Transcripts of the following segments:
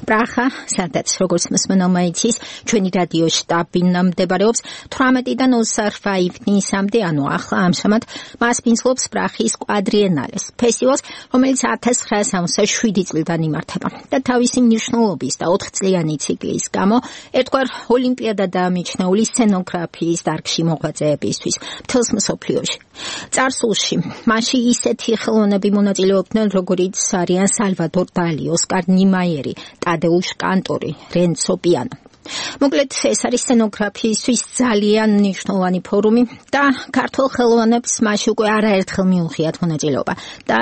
პრახა, სადაც როგორც მსმენელმა იცის, ჩვენი რადიო შტაბი მდებარეობს 18-დან 25-მდე, ანუ ახლა ამჟამად მას მისლობს პრახის კვადრიენალეს ფესტივალს, რომელიც 1967 წლიდან იმართება და თავისი მნიშვნელობის და 4 წლიანი ციკლის გამო ერთგვარ ოლიმპიადადაა მიჩნეული სცენოგრაფიის დარგში მოღვაწეებისთვის მთელს მსოფლიოში. წარსულში მასში ისეთი ხელოვნები მონაწილეობდნენ, როგორიც არიან სალვადორ დალი, ოსკარ ნიმაიერი, ტადეუშ კანტორი, რენცო პიანო. მოკლედ, ეს არის სცენოგრაფიისთვის ძალიან მნიშვნელოვანი ფორუმი და ქართველ ხელოვნებს მასში უკვე არაერთხელ მიუღიათ მონაწილეობა და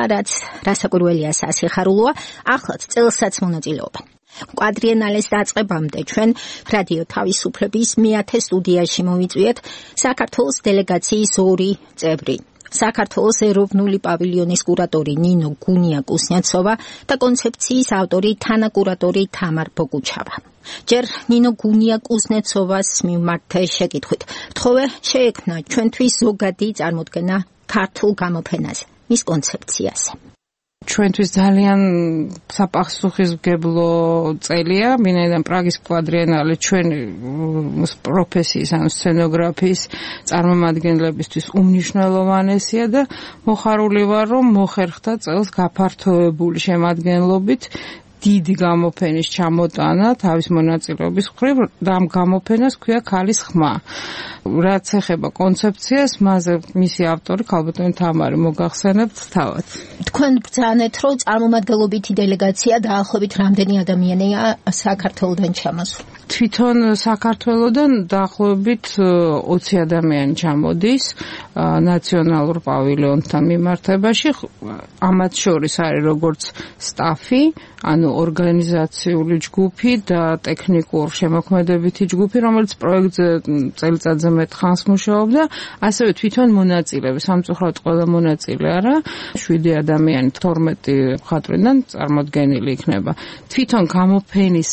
რასაკვირველია სასიხარულოა, ახლაც წელსაც მონაწილეობენ. კვადრიენალეს დაწყებამდე ჩვენ რადიო თავისუფლების მე-10 სტუდიაში მოვიწვიეთ საქართველოს დელეგაციის 2 წევრი. საქართველოს ეროვნული პავილიონის კურატორი ნინო გუნია-კუსნეცოვა და კონცეფციის ავტორი თანაკურატორი თამარ ბოგუჩავა. ჯერ ნინო გუნია-კუსნეცოვას მიმართ შეკითხვით, თხოვე შეექმნა ჩვენთვის ზოგადი წარმოდგენა ქართულ გამოფენაზე, მის კონცეფციაზე. ჩვენთვის ძალიან საპასუხისმგებლო წელია, ვინაიდან პრაგის კვადრიენალე ჩვენი პროფესიის, ანუ სცენოგრაფიის წარმომადგენლებისთვის უმნიშვნელოვანესია და მოხარული ვარ, რომ მოხერხდა წელს გაფართოებული შემადგენლობით დიდი გამოფენის ჩამოტანა თავის მონაწილეობის მხრივ და ამ გამოფენას ქვია ქალის ხმა. რაც ეხება კონცეფციას, მასზე მისი ავტორი ქალბატონი თამარი მოგახსენებთ თავად. თქვენ ბრძანეთ, რომ წარმომადგენლობითი დელეგაცია დაახლოებით რამდენი ადამიანია საქართველოდან ჩამოსული? თვითონ საქართველოდან დაახლოებით 20 ადამიანი ჩამოდის ნაციონალურ პავილიონთან მიმართებაში. ამათ შორის არის როგორც სტაფი, ანუ ორგანიზაციული ჯგუფი და ტექნიკურ შემოქმედებითი ჯგუფი, რომელიც პროექტზე წელიწადზე მეტ ხანს მუშაობდა, ასევე თვითონ მონაწილეები, სამწუხაროდ ყველა მონაწილე არა, 7 ადამიანი 12 მხატვრიდან წარმოდგენილი იქნება. თვითონ გამოფენის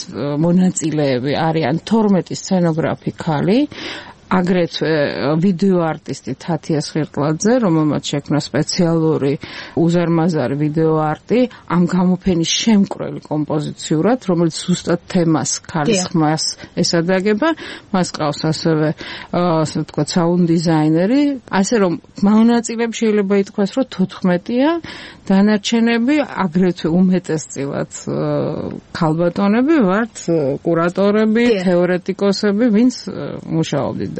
მონაწილეები არიან 12 სცენოგრაფი ქალი, აგრეთვე ვიდეო არტისტი თათია სხირტლაძე, რომელმაც შექმნა სპეციალური უზარმაზარი ვიდეო არტი ამ გამოფენის შემკვრელი კომპოზიციურად, რომელიც ზუსტად თემას ქალის ხმას ესადაგება. მას ყავს ასევე ასე ვთქვათ საუნდ დიზაინერი, ასე რომ მონაწილეები შეიძლება ითქვას, რომ 14-ია, დანარჩენები აგრეთვე უმეტესწილად ქალბატონები ვართ, კურატორები, თეორეტიკოსები, ვინც მუშაობდით.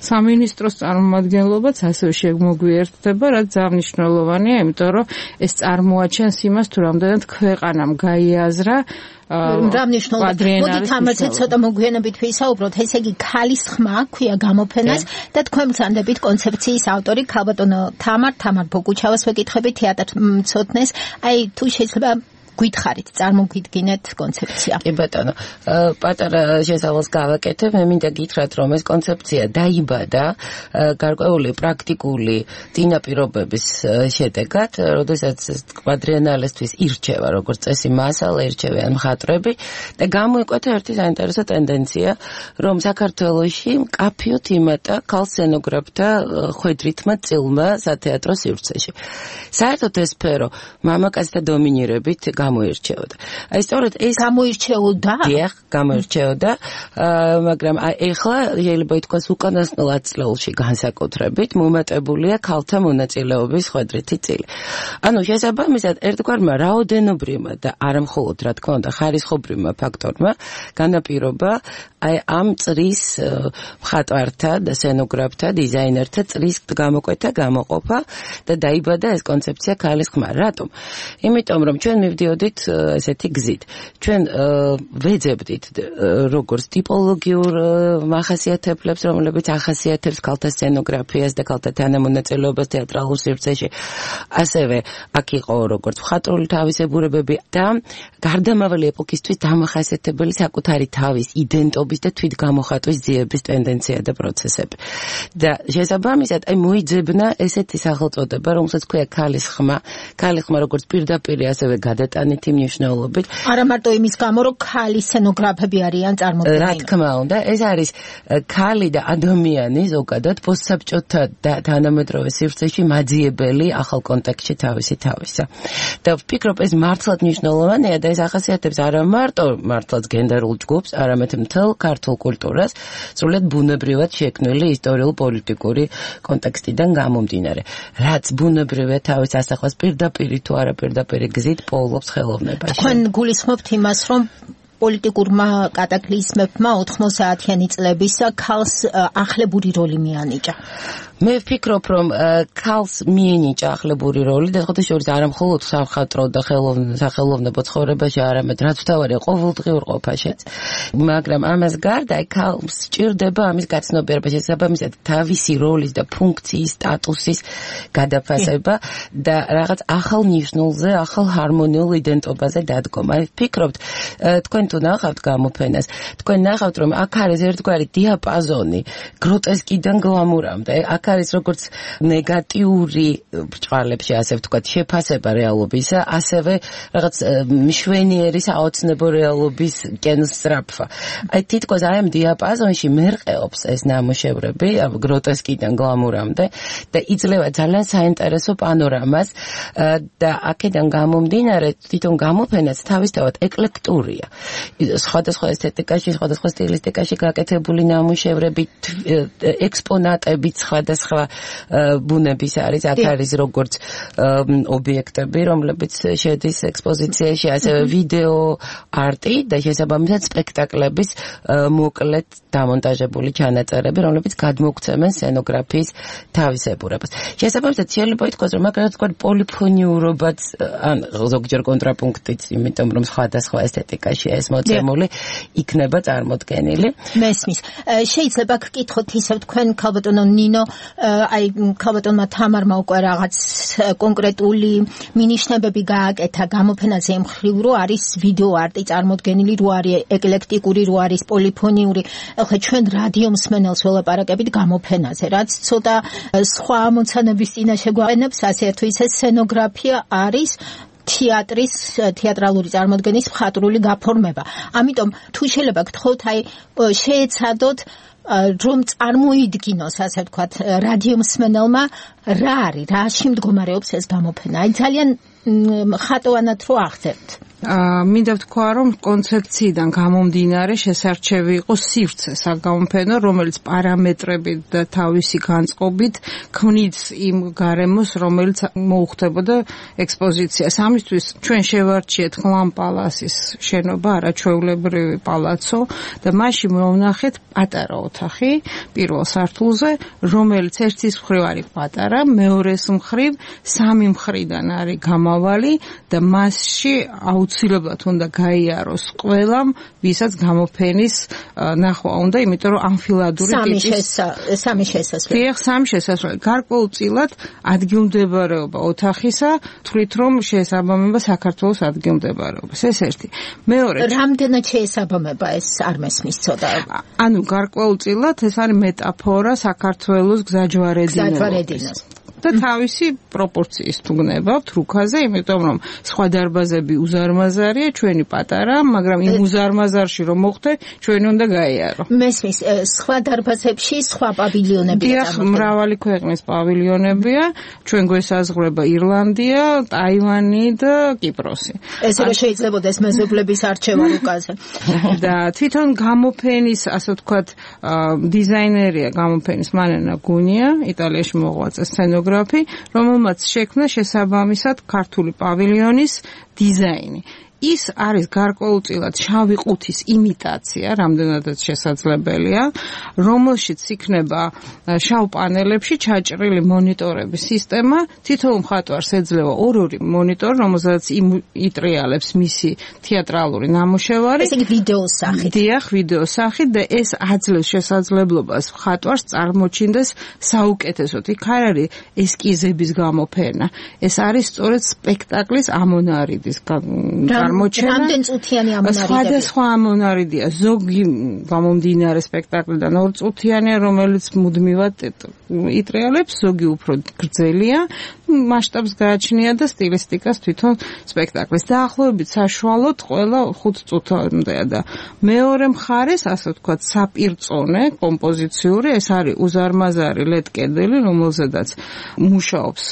სამინისტროს წარმომადგენლობაც ასევე შემოგვიერთდება, რაც ძალიან იმიტომ რომ ეს წარმოაჩენს იმას, თუ რამდენად ქვეყანამ გაიაზრა რა მნიშვნელობა. მოდით ამაზე ცოტა მოგვიანებით ვისაუბროთ. ესე იგი, ქალის ხმა ქვია გამოფენას და თქვენ ბრძანდებით კონცეფციის ავტორი ქალბატონო თამარ ბოგუჩავას ვეკითხებით თეატრ მცოდნეს. აი, თუ შეიძლება გითხარით, წარმოგვიდგინეთ კონცეფცია. კი ბატონო, პატარა შესავალს გავაკეთებ, მე მინდა გითხრათ, რომ ეს კონცეფცია დაიბადა გარკვეული პრაქტიკული წინაპირობების შედეგად, როდესაც კვადრიენალესთვის ირჩევა, როგორც წესი მასალა, ირჩევიან მხატვრები და გამოიკვეთა ერთი საინტერესო ტენდენცია, რომ საქართველოში მკაფიოდ იმატა ქალ სცენოგრაფთა ხვედრითმა წილმა სათეატრო სივრცეში. საერთოდ ეს სფერო მამაკაცთა დომინირებით გამოირჩეოდა. აი სწორედ ეს გამოირჩეოდა? დიახ, გამოირჩეოდა, მაგრამ ეხლა შეიძლება ითქვას უკანასკნელ 10 წლებში განსაკუთრებით მომატებულია ქალთა მონაწილეობის ხვედრითი წილი. ანუ შესაბამისად ერთგვარმა რაოდენობრივმა და არა მხოლოდ რა თქმა უნდა ხარისხობრივმა ფაქტორმა განაპირობა აი ამ წრის მხატვართა და სცენოგრაფთა, დიზაინერთა წრის გამოკვეთა, გამოყოფა და დაიბადა ეს კონცეფცია ქალის ხმა. რატომ? იმიტომ რომ ჩვენ მივდიოდით ესეთი გზით. ჩვენ ვეძებდით როგორც ტიპოლოგიურ მახასიათებლებს, რომლებიც ახასიათებს ქალთა სცენოგრაფიას და ქალთა თანამონაწილეობას თეატრალურ სივრცეში. ასევე აქ იყო როგორც მხატვრული თავისებურებები და გარდამავალი ეპოქისთვის დამახასიათებელი საკუთარი თავის იდენტობის და თვითგამოხატვის ძიების ტენდენცია და პროცესები. და შესაბამისად, აი მოიძებნა ესეთი სახელწოდება, რომელსაც ქვია ქალის ხმა. ქალი ხმა როგორც პირდაპირ ასევე გადატანილი ერთმანეთი მნიშვნელობით. არა მარტო იმის გამო, რომ ქალი სცენოგრაფები არიან წარმოდგენილი. რა თქმა უნდა, ეს არის ქალი და ადამიანი ზოგადად პოსტსაბჭოთა თანამედროვე სივრცეში მაძიებელი ახალ კონტექსტში თავისა. და ვფიქრობ, ეს მართლაც მნიშვნელოვანია და ეს ახასიათებს არა მართლაც გენდერულ ჯგუფს, არამედ მთელ ქართულ კულტურას, სრულიად ბუნებრივად შექმნილი ისტორიულ-პოლიტიკური კონტექსტიდან გამომდინარე. რაც ბუნებრივია თავის ასახვას პირდაპირ თუ არა პირდაპირ გზით პოულობს ხელოვნებაში. თქვენ გულისხმობთ იმას, რომ პოლიტიკურმა კატაკლიზმებმა 90-იანი წლების ქალს ახლებური როლი მიანიჭა. მე ვფიქრობ, რომ ქალს მიენიჭა ახლებური როლი და ხოთი შორის არა მხოლოდ სამხატვრო და სახელოვნებო ცხოვრებაში, არამედ რაც თავარია ყოველდღიურ ყოფაშიც. მაგრამ ამას გარდა ქალს სჭირდება ამის გაცნობიერება, შესაბამისად თავისი როლის და ფუნქციის, სტატუსის გადაფასება და რაღაც ახალ ნიშნულზე, ახალ ჰარმონიულ იდენტობაზე დადგომა. ვფიქრობთ, თქვენ თუ ნახავთ გამოფენას, თქვენ ნახავთ, რომ აქ არის ერთგვარი დიაპაზონი გროტესკიდან გლამურამდე. აქ არის როგორც ნეგატიური ბრჭყალებში, ასე ვთქვათ, შეფასება რეალობისა, ასევე რაღაც მშვენიერი საოცნებო რეალობის კენსტრაფა. აი თითქოს აი ამ დიაპაზონში მერყეობს ეს ნამუშევრები, გროტესკიდან გლამურამდე და იძლევა ძალიან საინტერესო პანორამას და აქედან გამომდინარე თვითონ გამოფენაც თავისთავად ეკლექტურია. სხვადასხვა ესთეტიკაში, სხვადასხვა სტილისტიკაში გაკეთებული ნამუშევრები, ექსპონატები სხვადასხვა ბუნების არის, აქ არის როგორც ობიექტები, რომლებიც შედის ექსპოზიციაში, ასევე ვიდეო არტი და შესაბამისად სპექტაკლების მოკლედ დამონტაჟებული ჩანაწერები, რომლებიც გადმოგვცემენ სცენოგრაფიის თავისებურებას. შესაბამისად შეიძლება ითქვას, რომ მაგალითად თქვა პოლიფონიურობაც ან ზოგჯერ კონტრაპუნქტიც, იმიტომ რომ სხვადასხვა ესთეტიკაში ეს მოწმული იქნება წარმოდგენილი. მესმის. შეიძლება გკითხოთ ისევ თქვენ ქალბატონო ნინო, აი ქალბატონმა თამარმა უკვე რაღაც კონკრეტული მინიშნებები გააკეთა გამოფენაზე მხრივ, რომ არის ვიდეო არტი წარმოდგენილი, რო არის ეკლექტიკური, რო არის პოლიფონიური. ახლა ჩვენ რადიო მსმენელს ველაპარაკებით გამოფენაზე, რაც ცოტა სხვა ამოცანების წინაშე გვაყენებს, ასე თუ ისე სცენოგრაფია არის თეატრის, თეატრალური წარმოდგენის მხატვრული გაფორმება. ამიტომ თუ შეიძლება გთხოვთ, აი შეეცადოთ რომ წარმოიდგინოს, ასე ვთქვათ, რადიო მსმენელმა რა არის, რაში მდგომარეობს ეს გამოფენა. აი ძალიან ხატოვანად რო აღწერთ. მინდა ვთქვა, რომ კონცეფციიდან გამომდინარე შესარჩევი იყო სივრცე საგამოფენო, რომელიც პარამეტრებით და თავისი განწყობით ქმნის იმ გარემოს, რომელიც მოუხდებოდა ექსპოზიციას. ამისთვის ჩვენ შევარჩიეთ ხლამ პალასის შენობა, არაჩვეულებრივი პალაცო და მასში მოვნახეთ პატარა ოთახი პირველ სართულზე, რომელიც ერთის მხრივ არის პატარა, მეორეს მხრივ სამი მხრიდან არის გამავალი და მასში აუცილებლად უნდა გაიაროს ყველამ, ვისაც გამოფენის ნახვა უნდა, იმიტომ რომ ამფილადური ტიპის სამი შესასვლელი. დიახ, სამი შესასვლელი. გარკვეულწილად ადგილმდებარეობა ოთახისა თვლით რომ შეესაბამება საქართველოს ადგილმდებარეობას. ეს ერთი. მეორე, რამდენად შეესაბამება ეს არ მესმის ცოტა. ანუ გარკვეულწილად ეს არის მეტაფორა საქართველოს გზაჯვარედინოს. და თავისი პროპორციის თუ გნებავთ რუქაზე, იმიტომ რომ სხვა დარბაზები უზარმაზარია, ჩვენი პატარა, მაგრამ იმ უზარმაზარში რომ მოხდე, ჩვენი უნდა გაიარო. მესმის, სხვა დარბაზებში სხვა პავილიონებია. დიახ, მრავალი ქვეყნის პავილიონებია, ჩვენ გვესაზღვრება ირლანდია, ტაივანი და კიპროსი. ესე რომ შეიძლებაოდეს მეზობლების არჩევა რუკაზე. და თვითონ გამოფენის, ასე ვთქვათ, დიზაინერია გამოფენის მანენა გუნია, იტალიაში მოღვაწე სცენოგრაფი, რომელმაც შექმნა შესაბამისად ქართული პავილიონის დიზაინი. ის არის გარკვეულწილად შავი ყუთის იმიტაცია, რამდენადაც შესაძლებელია, რომელშიც იქნება შავ პანელებში ჩაჭრილი მონიტორების სისტემა, თითოეულ მხატვარს ეძლევა ორი მონიტორი, რომელზეც იტრიალებს მისი თეატრალური ნამუშევარი. ესე იგი ვიდეოს სახით. დიახ, ვიდეოს სახით და ეს აძლევს შესაძლებლობას მხატვარს წარმოჩინდეს საუკეთესოდ. იქ არ არის ესკიზების გამოფენა. ეს არის სწორედ სპექტაკლის ამონარიდის წარმოჩენა. რამდენ წუთიანი ამონარიდია? სხვადასხვა ამონარიდია. ზოგი გამომდინარე სპექტაკლიდან 2 წუთიანია, რომელიც მუდმივად იტრიალებს, ზოგი უფრო გრძელია, მასშტაბს გააჩნია და სტილისტიკას თვითონ სპექტაკლის. დაახლოებით საშუალოდ ყველა 5 წუთამდეა და მეორე მხარეს, ასე ვთქვათ, საპირწონე კომპოზიციური, ეს არის უზარმაზარი LED კედელი, რომელზედაც მუშაობს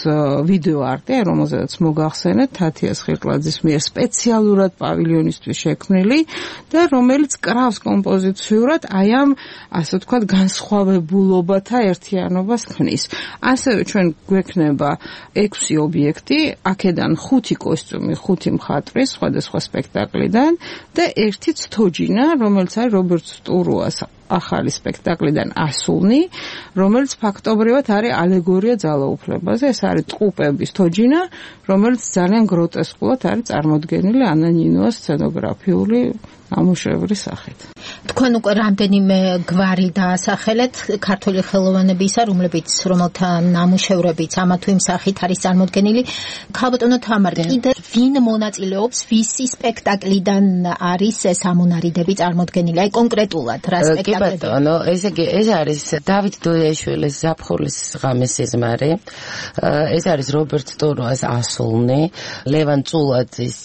ვიდეო არტი, რომელზედაც მოგახსენეთ თათიას ხირტლაძის მიერ სპეციალურად პავილიონისთვის შექმნილი და რომელიც კრავს კომპოზიციურად აი ამ, ასე ვთქვათ, განსხვავებულობათა ერთიანობას ქმნის. ასევე ჩვენ გვექნება 6 ობიექტი, აქედან 5 კოსტიუმი, 5 მხატვრი სხვადასხვა სპექტაკლიდან და 1 ცთოჯინა, რომელიც არის რობერტ სტურუას ახალი სპექტაკლიდან ასულნი, რომელიც ფაქტობრივად არის ალეგორია ძალაუფლებაზე. ეს არის ტყუპების თოჯინა, რომელიც ძალიან გროტესკულად არის წარმოდგენილი ანა ნინოას სცენოგრაფიული ნამუშევრის სახით. თქვენ უკვე რამდენიმე გვარი დაასახელეთ ქართული ხელოვანებისა, რომელთა ნამუშევრებიც ამა თუ იმ სახით არის წარმოდგენილი. ქალბატონო თამარ, კიდე ვინ მონაწილეობს, ვისი სპექტაკლიდან არის ეს ამონარიდები წარმოდგენილი? აი კონკრეტულად რა სპექტაკლები? კი ბატონო, ესე იგი ეს არის დავით დოიაშვილის ზაფხულის ღამის სიზმარი. ეს არის რობერტ სტურუას ასულნი, ლევან წულაძის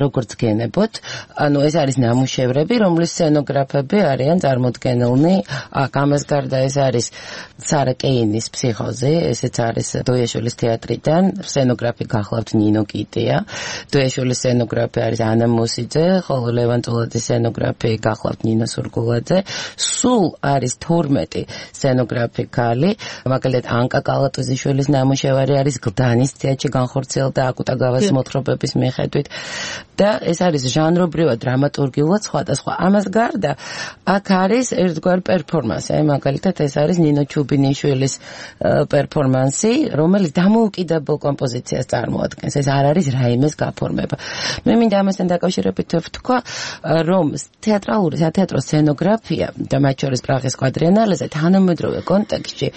როგორც გენებოთ. ანუ ეს არის ნამუშევრები, რომლის სცენოგრაფები არიან წარმოდგენილნი. ამას გარდა ეს არის სარა კეინის ფსიქოზი, ესეც არის დოიაშვილის თეატრიდან, სცენოგრაფი გახლავთ ნინო კიტია. დოიაშვილის სცენოგრაფი არის ანა მოსიძე, ხოლო ლევან წულაძის სცენოგრაფი გახლავთ ნინო სურგულაძე. სულ არის 12 სცენოგრაფი ქალი, მაგალითად ანკა კალატოზიშვილის ნამუშევარი არის გლდანის თეატრში განხორციელდა აკუტაგავას მოთხრობების მიხედვით და ეს არის ჟანრობრივად დრამატურგიულად სხვადასხვა. ამას გარდა აქ არის ერთგვარი პერფორმანსი, აი მაგალითად ეს არის ნინო ჩუბინიშვილის პერფორმანსი, რომელიც დამოუკიდებელ კომპოზიციას წარმოადგენს. ეს არ არის რაიმეს გაფორმება. მე მინდა ამასთან დაკავშირებით ვთქვა, რომ თეატრალური სათეატრო სცენოგრაფია და მათ შორის პრაღის კვადრიენალეზე თანამედროვე კონტექსტში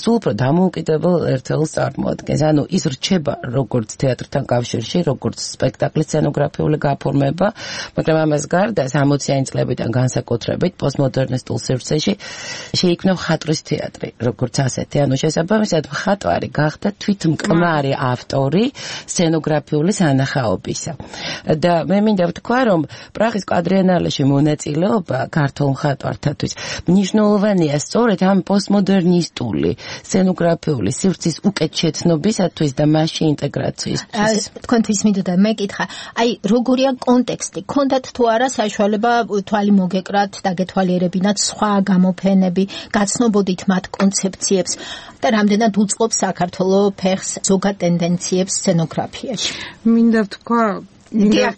სულ უფრო დამოუკიდებელ ერთეულს წარმოადგენს. ანუ ის რჩება როგორც თეატრთან კავშირში, როგორც სპექტაკლის სცენოგრაფიული გაფორმება, მაგრამ ამას გარდა 60-იანი წლებიდან განსაკუთრებით პოსტმოდერნისტულ სივრცეში შეიქმნა მხატვრის თეატრი, როგორც ასეთი. ანუ შესაბამისად მხატვარი გახდა თვითმკმარი ავტორი სცენოგრაფიული სანახაობისა. და მე მინდა ვთქვა, რომ პრაღის კვადრიენალეში მონაწილეობა ქართულ მხატვართათვის მნიშვნელოვანია სწორედ ამ პოსტმოდერნისტული სცენოგრაფიული სივრცის უკეთ შეცნობისათვის და მასში ინტეგრაციისთვის. თქვენთვის მინდოდა მეკითხა, აი როგორია კონტექსტი? ქონდათ თუ არა საშუალება თვალი მოგეკრათ, დაგეთვალიერებინათ სხვა გამოფენები, გაცნობოდით მათ კონცეფციებს და რამდენად უწყობს საქართველოს ფეხს ზოგად ტენდენციებს სცენოგრაფიაში? მინდა ვთქვა მინდა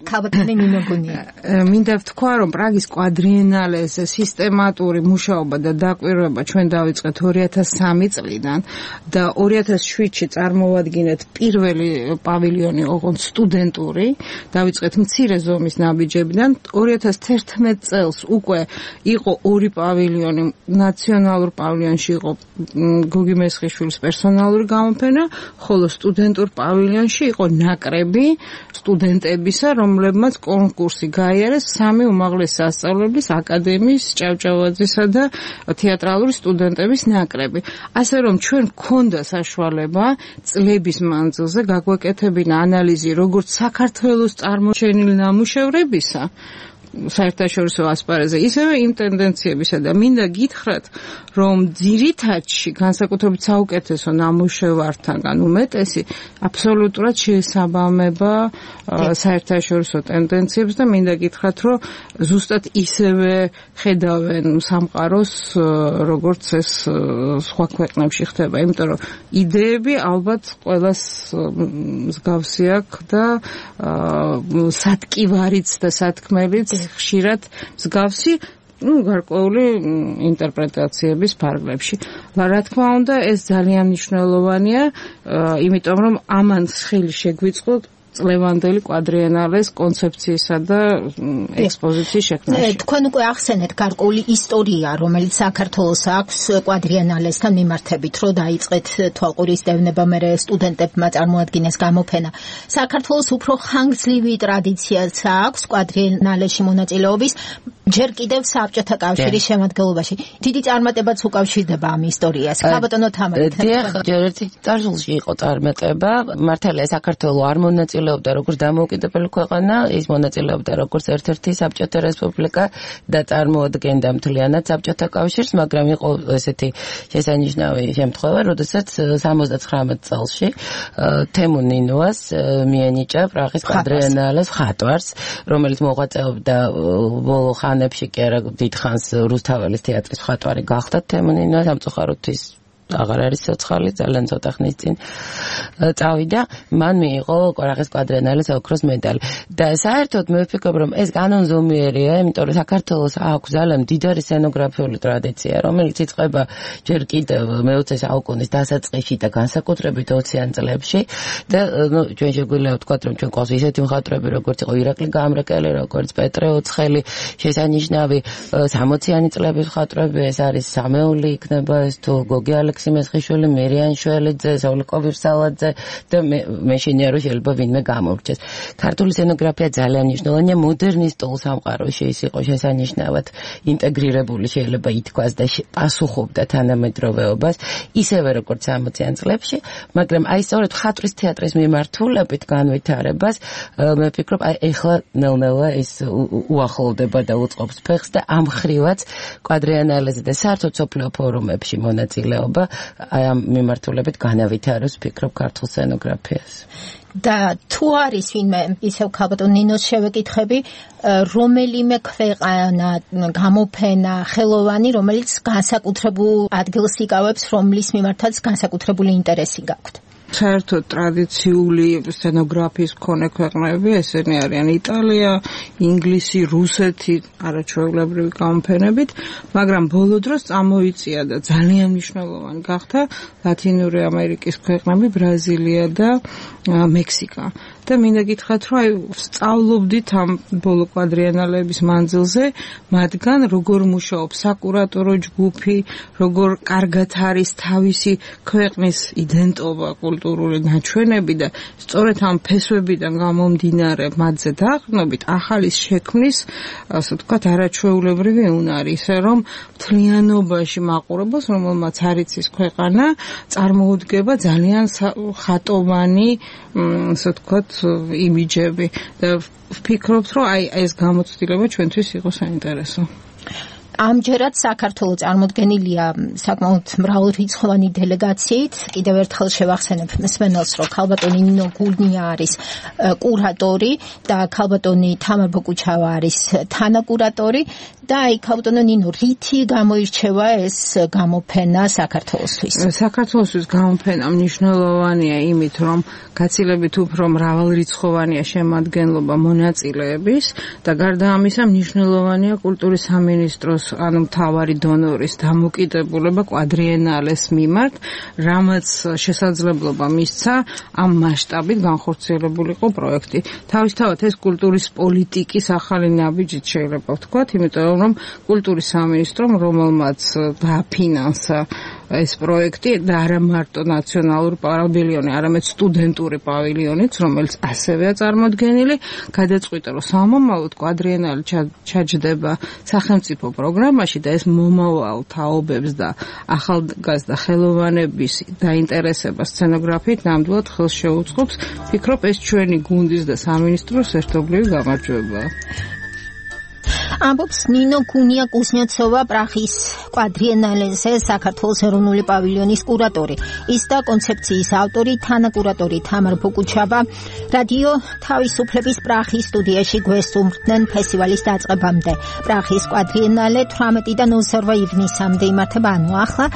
ვთქვა, რომ პრაღის კვადრიენალეზე სისტემატური მუშაობა და დაკვირვება ჩვენ დავიწყეთ 2003 წლიდან და 2007-ში წარმოვადგინეთ პირველი პავილიონი, ოღონდ სტუდენტური, დავიწყეთ მცირე ზომის ნაბიჯებიდან. 2011 წელს უკვე იყო 2 პავილიონი, ნაციონალურ პავილიონში იყო გოგი მესხიშვილის პერსონალური გამოფენა, ხოლო სტუდენტურ პავილიონში იყო ნაკრები სტუდენტები, რომლებმაც კონკურსი გაიარეს 3 უმაღლესი სასწავლებლის აკადემიის ჭავჭავაძისა და თეატრალური სტუდენტების ნაკრები. ასე რომ ჩვენ გქონდა საშუალება წლების მანძილზე გაგვეკეთებინა ანალიზი როგორც საქართველოს წარმოჩენილი ნამუშევრებისა საერთაშორისო ასპარეზზე, ისევე იმ ტენდენციებისა და მინდა გითხრათ, რომ ძირითადში განსაკუთრებით საუკეთესო ნამუშევართან უმეტესი აბსოლუტურად შეესაბამება საერთაშორისო ტენდენციებს და მინდა გითხრათ, რომ ზუსტად ისევე ხედავენ სამყაროს, როგორც ეს სხვა ქვეყნებში ხდება, იმიტომ რომ იდეები ალბათ ყველას მსგავსი აქვს და სათკივარიც და სათქმელიც ხშირად მსგავსი გარკვეული ინტერპრეტაციების ფარგლებში. რა თქმა უნდა, ეს ძალიან მნიშვნელოვანია, იმიტომ რომ ამან ხელი შეგვიწყო წლევანდელი კვადრიენალეს კონცეფციისა და ექსპოზიციის შექმნაში. თქვენ უკვე ახსენეთ გარკვეული ისტორია, რომელიც საქართველოს აქვს კვადრიენალესთან მიმართებით, რომ დაიწყეთ თვალყურის დევნება, მერე სტუდენტებმა წარმოადგინეს გამოფენა. საქართველოს უფრო ხანგრძლივი ტრადიციაც აქვს კვადრიენალეში მონაწილეობის, ჯერ კიდევ საბჭოთა კავშირის შემადგენლობაში. დიდი წარმატებაც უკავშირდება ამ ისტორიას. ქალბატონო თამარი. ჯერ ერთი წარსულში იყო წარმატება. მართალია საქართველოს არ მონაწილეობდა როგორც დამოუკიდებელი ქვეყანა, ის მონაწილეობდა როგორც ერთ-ერთი საბჭოთა რესპუბლიკა და წარმოადგენდა მთლიანად საბჭოთა კავშირს, მაგრამ იყო ესეთი შესანიშნავი შემთხვევა, როდესაც 79 წელში თემუ ნინოას მიენიჭა პრაღის კვადრიენალეს ხატვარს, რომელიც მოღვაწეობდა ბოლო ხანებში კი არა დიდ ხანს რუსთაველის თეატრის ხატვარი გახდა თემუ ნინოა სამწუხაროთვის აღარ არის ცოცხალი, ძალიან ცოტა ხნის წინ წავიდა, მან მიიღო პრაღის კვადრიენალეს ოქროს მედალი. და საერთოდ მე ვფიქრობ, რომ ეს განონზომიერია, იმიტომ რომ საქართველოს აქვს ძალიან მდიდარი სცენოგრაფიული ტრადიცია, რომელიც იწყება ჯერ კიდევ მე-20 საუკუნის დასაწყისში და განსაკუთრებით 20-იან წლებში და ჩვენ შეგვიძლია ვთქვათ, რომ ჩვენ ყავს ისეთი მხატვრები, როგორც იყო ირაკლი გამრეკელი, როგორც პეტრე ოცხელი, შესანიშნავი 60-იანი წლების მხატვრები, ეს არის სამეული იქნება, ეს თუ გოგი სიმესხიშვილი, მერიან შველიძე, ზოლიკო ვირსალაძე და მე შენია რომ შეიძლება ვინმე გამორჩეს. ქართული სცენოგრაფია ძალიან მნიშვნელოვანია მოდერნისტულ სამყაროში, ის იყო შესანიშნავად ინტეგრირებული, შეიძლება ითქვას და პასუხობდა თანამედროვეობას, ისევე როგორც 60-იან წლებში, მაგრამ აი სწორედ ხატვის თეატრის მიმართულებით განვითარებას მე ვფიქრობ, აი ეხლა ნელ-ნელა ის უახლოვდება და უწყობს ფეხს და ამ ხრივაც კვადრიენალეზე და საერთოდ სოფლიო ფორუმებში მონაწილეობა აი ამ მიმართულებით განავითაროს ვფიქრობ ქართულ სცენოგრაფიას. და თუ არის ვინმე ისევ ქალბატონ ნინოს შევეკითხები, რომელიმე ქვეყანა, გამოფენა, ხელოვანი, რომელიც განსაკუთრებულ ადგილს იკავებს, რომლის მიმართაც განსაკუთრებული ინტერესი გაქვთ. საერთოდ ტრადიციული სცენოგრაფიის მქონე ქვეყნები ესენი არიან იტალია, ინგლისი, რუსეთი, არაჩვეულებრივი გამოფენებით, მაგრამ ბოლო დროს წამოიწია და ძალიან მნიშვნელოვანი გახდა ლათინური ამერიკის ქვეყნები, ბრაზილია და მექსიკა. და მინდა გითხრათ, რომ აი სწავლობდით ამ ბოლო კვადრიენალების მანძილზე, მათგან როგორ მუშაობს საკურატორო ჯგუფი, როგორ კარგად არის თავისი ქვეყნის იდენტობა, კულტურული ნაჩვენები და სწორედ ამ ფესვებიდან გამომდინარე მათზე დაყრდნობით ახალი შექმნის, ასე ვთქვათ, არაჩვეულებრივი უნარი, ისე რომ მთლიანობაში მაყურებელს, რომელმაც არ იცის ქვეყანა, წარმოუდგება ძალიან ხატოვანი, ასე ვთქვათ, იმიჯები და ვფიქრობთ, რომ აი ეს გამოცდილება ჩვენთვის იყო საინტერესო. ამჯერად საქართველოს წარმოდგენილია საკმაოდ მრავალრიცხოვანი დელეგაციით. კიდევ ერთხელ შევახსენებ მსმენელს, რომ ქალბატონი ნინო გულნია არის კურატორი და ქალბატონი თამარ ბოკუჩავა არის თანაკურატორი და აი ქალბატონო ნინო, რითი გამოირჩევა ეს გამოფენა საქართველოსთვის? საქართველოსთვის გამოფენა მნიშვნელოვანია იმით, რომ გაცილებით უფრო მრავალრიცხოვანია შემადგენლობა მონაწილეების და გარდა ამისა მნიშვნელოვანია კულტურის სამინისტროს ანუ მთავარი დონორის დამოკიდებულება კვადრიენალეს მიმართ, რამაც შესაძლებლობა მისცა ამ მასშტაბით განხორციელებულიყო პროექტი. თავისთავად ეს კულტურის პოლიტიკის ახალი ნაბიჯით შეიძლება ვთქვათ, იმიტომ რომ კულტურის სამინისტრომ, რომელმაც დააფინანსა ეს პროექტი და არა მარტო ნაციონალური პავილიონი, არამედ სტუდენტური პავილიონიც, რომელიც ასევეა წარმოდგენილი, გადაწყვიტა, რომ სამომავლოდ კვადრიენალი ჩაჯდება სახელმწიფო პროგრამაში და ეს მომავალ თაობებს და ახალგაზრდა ხელოვანების დაინტერესებას სცენოგრაფიით ნამდვილად ხელს შეუწყობს. ვფიქრობ, ეს ჩვენი გუნდის და სამინისტროს ერთობლივი გამარჯვებაა. ამბობს ნინო გუნია კუზნეცოვა პრაღის კვადრიენალეზე საქართველოს ეროვნული პავილიონის კურატორი. ის და კონცეფციის ავტორი თანაკურატორი თამარ ბოკუჩავა რადიო თავისუფლების პრაღის სტუდიაში გვესტუმრდნენ ფესტივალის დაწყებამდე. პრაღის კვადრიენალე 18-დან 22 ივნისამდე იმართება, ანუ ახლა